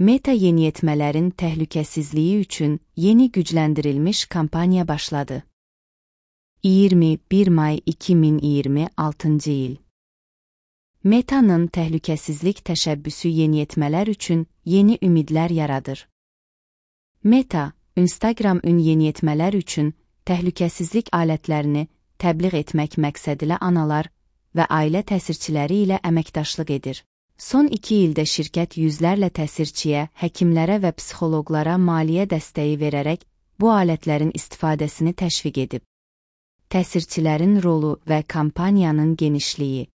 Meta yeniyetmələrin təhlükəsizliyi üçün yeni gücləndirilmiş kampaniya başladı. 21 may 2026-cı il. Meta'nın təhlükəsizlik təşəbbüsü yeniyetmələr üçün yeni ümidlər yaradır. Meta, Instagram yeniyetmələr üçün təhlükəsizlik alətlərini təbliğ etmək məqsədilə analar və ailə təsirçiləri ilə əməkdaşlıq edir. Son 2 ildə şirkət yüzlərlə təsirçiyə, həkimlərə və psixoloqlara maliyyə dəstəyi verərək bu alətlərin istifadəsini təşviq edib. Təsirçilərin rolu və kampaniyanın genişliyi.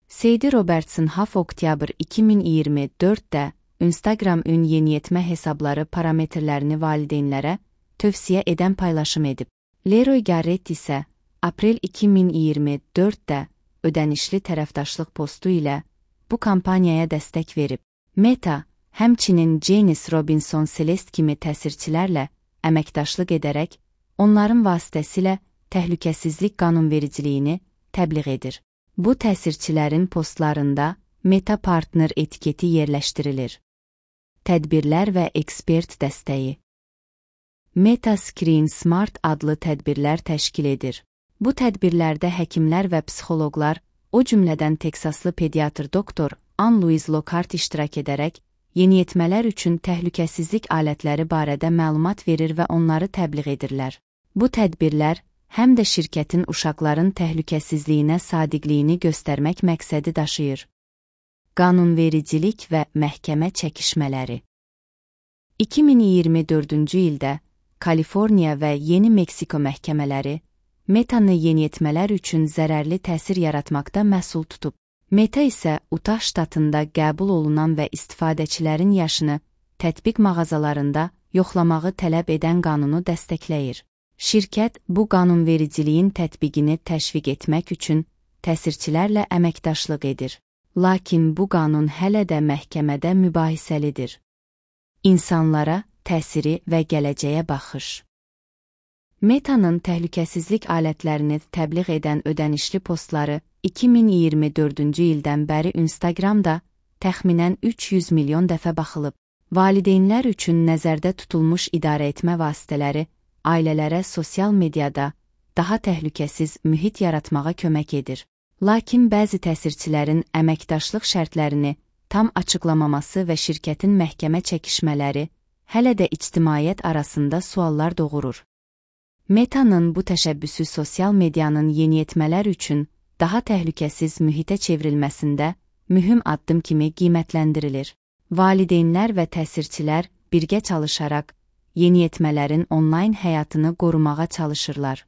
Sadie Robertson oktyabr 2024-də Instagram yeniyetmə hesabları parametrlərini valideynlərə tövsiyə edən paylaşım edib. Leroy Garrett isə aprel 2024-də ödənişli tərəfdaşlıq postu ilə bu kampaniyaya dəstək verib. Meta, həmçinin Janice Robinson Celeste kimi təsirçilərlə əməkdaşlıq edərək, onların vasitəsilə təhlükəsizlik qanunvericiliyini təbliğ edir. Bu təsirçilərin postlarında Meta Partner etiketi yerləşdirilir. Tədbirlər və ekspert dəstəyi. Meta Screen Smart adlı tədbirlər təşkil edir. Bu tədbirlərdə həkimlər və psixoloqlar, o cümlədən Teksaslı pediatr doktor Ann-Louise Lockhart iştirak edərək, yeniyetmələr üçün təhlükəsizlik alətləri barədə məlumat verir və onları təbliğ edirlər. Bu tədbirlər, həm də şirkətin uşaqların təhlükəsizliyinə sadiqliyini göstərmək məqsədi daşıyır. Qanunvericilik və məhkəmə çəkişmələri. 2024-cü ildə Kaliforniya və Yeni Meksiko məhkəmələri Meta'nı yeniyetmələr üçün zərərli təsir yaratmaqda məsul tutub. Meta isə Utah ştatında qəbul olunan və istifadəçilərin yaşını tətbiq mağazalarında yoxlamağı tələb edən qanunu dəstəkləyir. Şirkət bu qanunvericiliyin tətbiqini təşviq etmək üçün təsirçilərlə əməkdaşlıq edir. Lakin bu qanun hələ də məhkəmədə mübahisəlidir. İnsanlara təsiri və gələcəyə baxış. Meta'nın təhlükəsizlik alətlərini təbliğ edən ödənişli postları 2024-cü ildən bəri Instagramda təxminən 300 milyon dəfə baxılıb. Valideynlər üçün nəzərdə tutulmuş idarəetmə vasitələri ailələrə sosial mediada daha təhlükəsiz mühit yaratmağa kömək edir. Lakin bəzi təsirçilərin əməkdaşlıq şərtlərini tam açıqlamaması və şirkətin məhkəmə çəkişmələri hələ də ictimaiyyət arasında suallar doğurur. Meta'nın bu təşəbbüsü sosial medianın yeniyetmələr üçün daha təhlükəsiz mühitə çevrilməsində mühüm addım kimi qiymətləndirilir. Valideynlər və təsirçilər birgə çalışaraq yeniyetmələrin onlayn həyatını qorumağa çalışırlar.